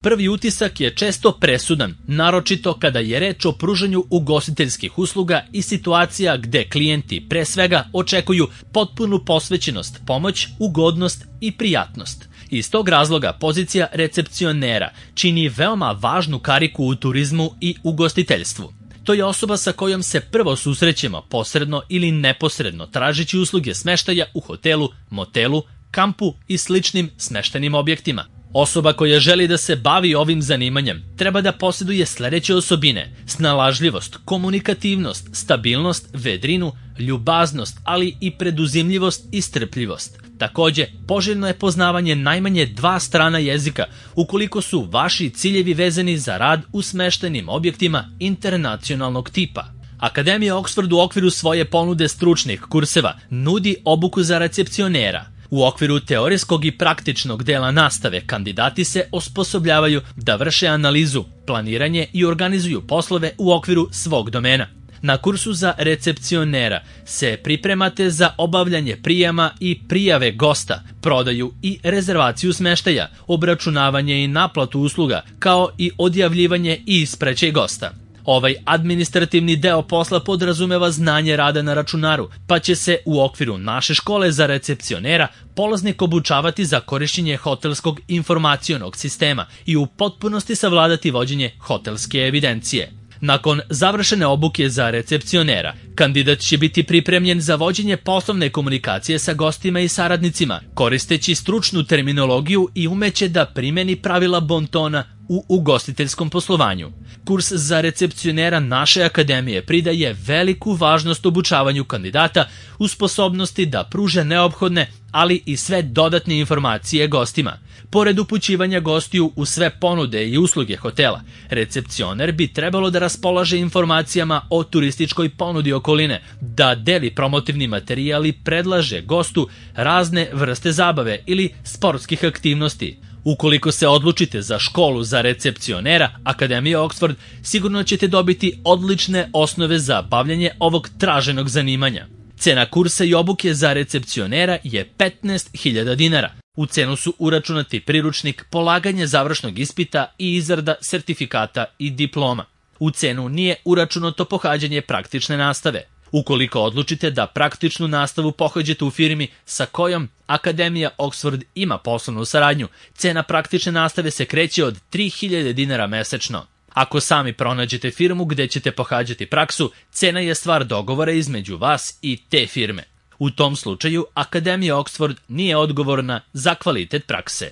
Prvi utisak je često presudan, naročito kada je reč o pružanju ugostiteljskih usluga i situacija gde klijenti pre svega očekuju potpunu posvećenost, pomoć, ugodnost i prijatnost. Iz tog razloga pozicija recepcionera čini veoma važnu kariku u turizmu i ugostiteljstvu. To je osoba sa kojom se prvo susrećemo posredno ili neposredno tražeći usluge smeštaja u hotelu, motelu, kampu i sličnim smeštajnim objektima. Osoba koja želi da se bavi ovim zanimanjem treba da posjeduje sledeće osobine: snalažljivost, komunikativnost, stabilnost, vedrinu, ljubaznost, ali i preduzimljivost i strpljivost. Takođe, poželjno je poznavanje najmanje 2 strana jezika ukoliko su vaši ciljevi vezani za rad u smeštajnim objektima internacionalnog tipa. Akademija Oxford u okviru svoje ponude stručnih kurseva nudi obuku za recepcionera. U okviru teorijskog i praktičnog dela nastave kandidati se osposobljavaju da vrše analizu, planiranje i organizuju poslove u okviru svog domena. Na kursu za recepcionera se pripremate za obavljanje prijema i prijave gosta, prodaju i rezervaciju smeštaja, obračunavanje i naplatu usluga, kao i odjavljivanje i ispraćaj gosta. Ovaj administrativni deo posla podrazumeva znanje rada na računaru, pa će se u okviru naše škole za recepcionera polaznik obučavati za korišćenje hotelskog informacionog sistema i u potpunosti savladati vođenje hotelske evidencije. Nakon završene obuke za recepcionera, kandidat će biti pripremljen za vođenje poslovne komunikacije sa gostima i saradnicima, koristeći stručnu terminologiju i umeće da primeni pravila bontona u ugostiteljskom poslovanju. Kurs za recepcionera naše akademije pridaje veliku važnost obučavanju kandidata u sposobnosti da pruže neophodne, ali i sve dodatne informacije gostima. Pored upućivanja gostiju u sve ponude i usluge hotela, recepcioner bi trebalo da raspolaže informacijama o turističkoj ponudi okoline, da deli promotivni materijal i predlaže gostu razne vrste zabave ili sportskih aktivnosti. Ukoliko se odlučite za školu za recepcionera Akademija Oxford, sigurno ćete dobiti odlične osnove za bavljanje ovog traženog zanimanja. Cena kursa i obuke za recepcionera je 15.000 dinara. U cenu su uračunati priručnik, polaganje završnog ispita i izrada sertifikata i diploma. U cenu nije uračunato pohađanje praktične nastave. Ukoliko odlučite da praktičnu nastavu pohađate u firmi sa kojom Akademija Oxford ima poslovnu saradnju, cena praktične nastave se kreće od 3.000 dinara mesečno. Ako sami pronađete firmu gde ćete pohađati praksu, cena je stvar dogovora između vas i te firme. U tom slučaju, Akademija Oxford nije odgovorna za kvalitet prakse.